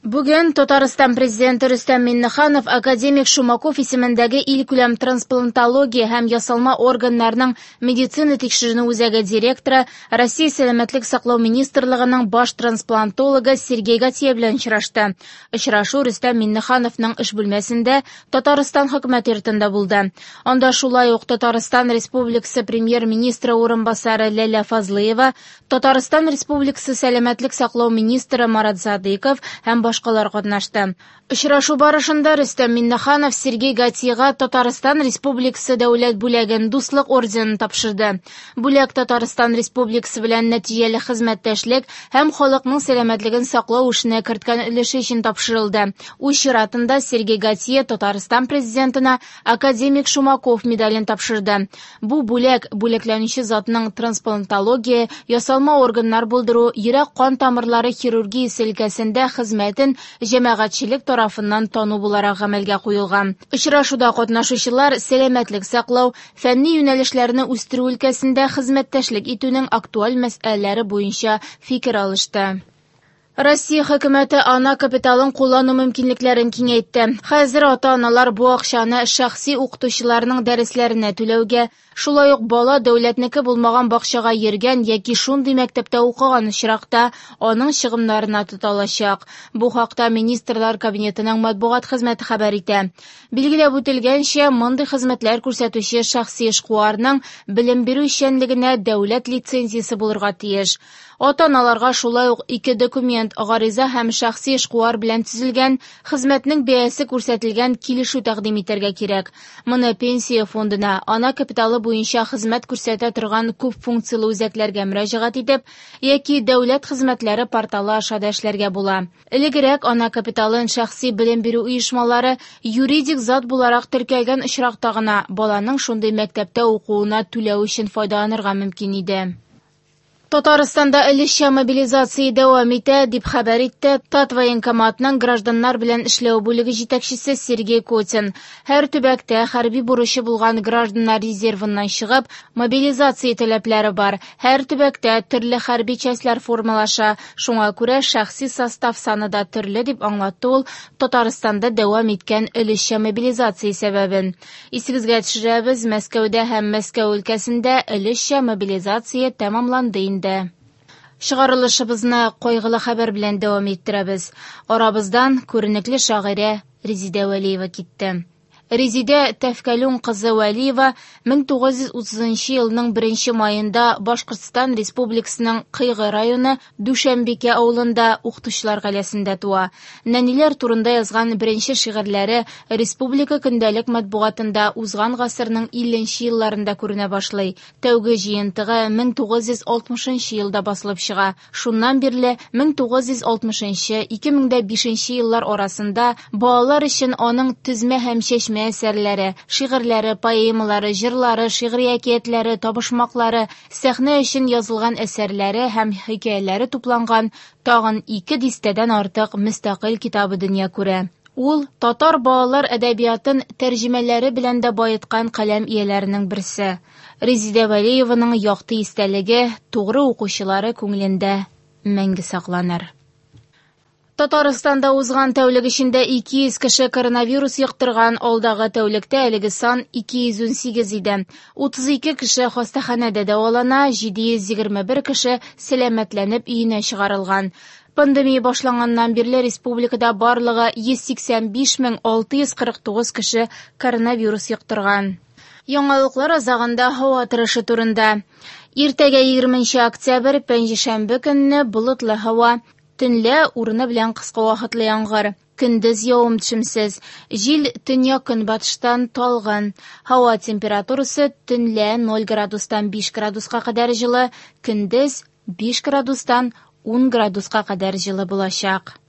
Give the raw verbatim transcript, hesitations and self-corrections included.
Бүген Татарстан президенты Рөстәм Миңнеханов академик Шумаков исемендәге илкүләм трансплантология һәм ясалма органнарның медицина тикшеренү үзәге директоры, Россия сәламәтлек саклау министрлыгының баш трансплантологы Сергей Гатье белән очрашты. Очрашу Рөстәм Миңнехановның эш бүлмәсендә Татарстан хөкүмәте йортында булды. Анда шулай ук Татарстан Республикасы премьер-министры урынбасары Ләлә Фазлыева, Татарстан Республикасы сәламәтлек саклау министры Марат Садыйков һәм башкалар катнашты. Очрашу барышында Рөстәм Миңнеханов Сергей Гатьега Татарстан Республикасы дәүләт бүләген Дуслык орденын тапшырды. Бүләк Татарстан Республикасы белән нәтиҗәле хезмәттәшлек һәм халыкның сәламәтлеген саклау эшенә керткән өлеше өчен тапшырылды. Үз чиратында Сергей Гатье Татарстан президентына академик Шумаков медален тапшырды. Бу бүләк бүләкләнүче затның трансплантология, ясалма органнар булдыру, йөрәк-кан тамырлары хирургиясе өлкәсендә хезмәтен җәмәгатьчелек тарафыннан тану буларак гамәлгә куелган. Очрашуда катнашучылар сәламәтлек саклау, фәнни юнәлешләрне үстерү өлкәсендә хезмәттәшлек итүнең актуаль мәсьәләләре буенча фикер алышты. Россия хөкүмәте ана капиталын куллану мөмкинлекләрен киңәйтте. Хәзер ата-аналар бу акчаны шәхси укытучыларның дәресләренә түләүгә, шулай ук бала дәүләтнеке булмаган бакчага йөргән яки шундый мәктәптә укыган очракта аның чыгымнарына тота алачак. Бу хакта Министрлар Кабинетының матбугат хезмәте хәбәр итә. Билгеләп үтелгәнчә, мондый хезмәтләр күрсәтүче шәхси эшкуарның белем бирү эшчәнлегенә дәүләт лицензиясе булырга тиеш. Ата-аналарга шулай ук ике документ, гариза һәм шәхси эшкуар белән төзелгән хезмәтнең бәясе күрсәтелгән килешү тәкъдим итәргә кирәк. Моны пенсия фондына, ана капиталы буенча хезмәт күрсәтә торган күп функцияле үзәкләргә мөрәҗәгать итеп яки дәүләт хезмәтләре порталы аша да эшләргә була. Элегрәк ана капиталын шәхси белем бирү оешмалары юридик зат буларак теркәлгән очракта гына баланың шундый мәктәптә укуына түләү өчен файдаланырга мөмкин иде. Татарстанда өлешчә мобилизация дәвам итә, дип хәбәр итте Татвоенкоматның гражданнар белән эшләү бүлеге җитәкчесе Сергей Котин. Һәр төбәктә хәрби бурычы булган гражданнар резервыннан чыгып, мобилизация таләпләре бар. Һәр төбәктә төрле хәрби частьләр формалаша, шуңа күрә шәхси состав саны да төрле, дип аңлатты ул Татарстанда дәвам иткән өлешчә мобилизация сәбәбен. Исегезгә төшерәбез, Мәскәүдә һәм Мәскәү өлкәсендә өлешчә мобилизация тәмамланды инде. Чыгарылышыбызны кайгылы хәбәр белән дәвам иттерәбез. Арабыздан күренекле шагыйрә Резидә Вәлиева китте. Резидә Тәфкәлүн кызы Вәлиева мең тугыз йөз утызынчы елның беренче маенда Башкортстан Республикасының Кыйгы районы Дүшәмбикә авылында укытучылар гаиләсендә туа. Нәниләр турында язган беренче шигырьләре республика көндәлек матбугатында узган гасырның илленче елларында күренә башлый. Тәүге җыентыгы мең тугыз йөз алтмышынчы елда басылып чыга. Шуннан бирле мең тугыз йөз алтмышынчы, ике мең дә бишенче еллар арасында балалар өчен аның төзмә һәм чәчмә әсәрләре, шигырьләре, поэмалары, җырлары, шигъри әкиятләре, табышмаклары, сәхнә өчен язылган әсәрләре һәм хикәяләре тупланган тагын ике дистәдән артык мөстәкыйль китабы дөнья күрә. Ул татар балалар әдәбиятын тәрҗемәләре белән дә баеткан каләм ияләренең берсе. Резидә Вәлиеваның якты истәлеге тугры укучылары күңелендә мәңге сакланыр. Татарстанда узган тәүлек эчендә ике йөз кеше коронавирус йоктырган, алдагы тәүлектә әлеге сан ике йөз унсигез иде. Утыз ике кеше хастаханәдә дәвалана, җиде йөз егерме бер кеше сәламәтләнеп өенә чыгарылган. Пандемия башланганнан бирле республикада барлыгы йөз сиксән биш мең алты йөз кырык тугыз кеше коронавирус йоктырган. Яңалыклар азагында һава торышы турында. Иртәгә егерменче октябрь, пәнҗешәмбе көнне болытлы һава. Төнлә урыны белән кыска вакытлы яңгыр. Көндез явым төшемсез. Җил төньяк көнбатыштан талгын. Һава температурасы төнлә ноль градустан биш градуска кадәр җылы, көндез биш градустан ун градуска кадәр җылы булачак.